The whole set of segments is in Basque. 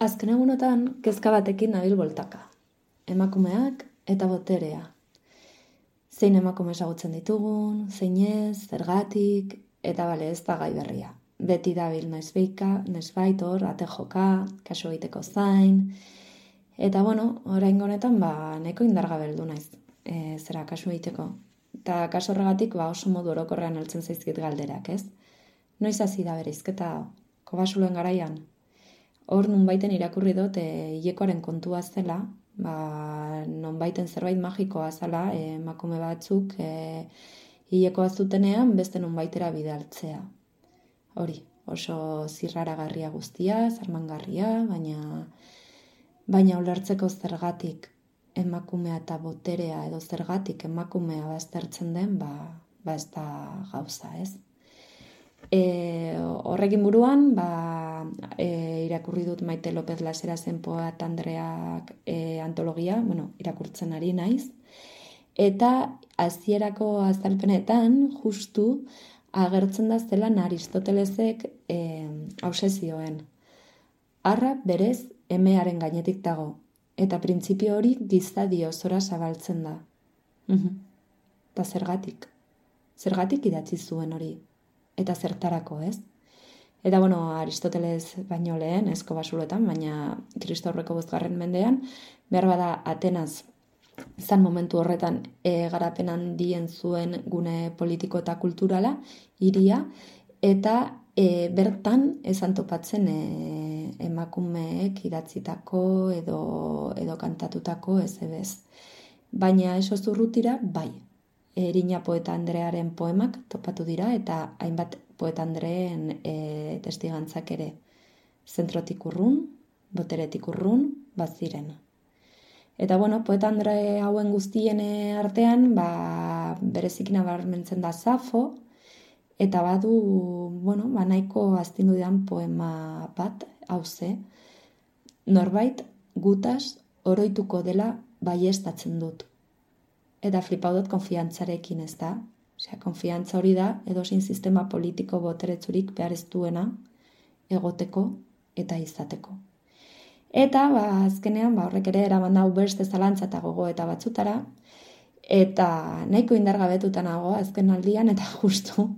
Azken egunotan, kezka batekin nabil boltaka. Emakumeak eta boterea. Zein emakume ezagutzen ditugun, zein ez, zergatik, eta bale ez da gai berria. Beti dabil noizbait hor, ate joka, kasu egiteko zain. Eta oraingo honetan, nahiko indargabeldu naiz, zera kasu egiteko. Eta kasu horregatik, oso modu orokorrean heltzen zaizkit galderak, ez? Noiz hasi da bereizketa Kobasuloen garaian? Hor nonbaiten irakurri dut hilekoaren kontua zela, nonbaiten zerbait magikoa zela, emakume batzuk hilekoa zutenean beste nonbaitera bidaltzea. Hori, oso zirraragarria guztia, zarmangarria, baina ulertzeko zergatik emakumea eta boterea edo zergatik emakumea baztertzen den, ez da gauza, ez? Horrekin buruan, irakurri dut Maite López Laserasen Poeta Andreak antologia, irakurtzen ari naiz, eta hasierako azalpenetan justu agertzen da zelan Aristotelesek obsesioen. Arra berez emearen gainetik dago, eta printzipio hori gizadi osora zabaltzen da. Eta zergatik? Zergatik idatzi zuen hori? Eta zertarako, ez? Eta Aristoteles baino lehen, ez Kobasuloetan, baina Kristo aurreko 5. mendean, behar bada Atenaz zan momentu horretan garapen handien zuen gune politiko eta kulturala, hiria, eta bertan esan topatzen emakumeek idatzitako edo kantatutako ez ebez. Baina eso zurrutira, bai. Erina Poeta Andrearen poemak topatu dira eta hainbat Poeta Andreen testigantzak ere. Zentrotik urrun, boteretik urrun, baziren. Eta Poeta Andre hauen guztien artean, berezik nabarmentzen da Safo, eta badu, nahiko astindu didan poema bat, hauze, norbait gutaz oroituko dela baiestatzen dut. Eta flipau dut konfiantzarekin, ez da? Konfiantza hori da, edozein sistema politiko boteretzurik behar ez duena egoteko eta izateko. Eta, azkenean, horrek ere eraman dau beste zalantza eta gogo eta batzutara, eta nahiko indargabetuta nago azken aldian, eta justu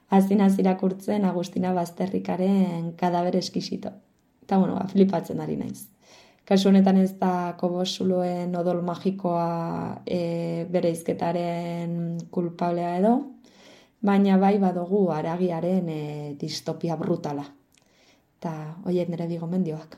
hazinaz irakurtzen Agustina Bazterrikaren Kadaber eskisito. Eta, flipatzen ari naiz. Kasu honetan ez da Kobasuloen odol magikoa bereizketaren kulpablea edo, baina bai badugu haragiaren distopia brutala. Eta horiek nire bi gomendioak.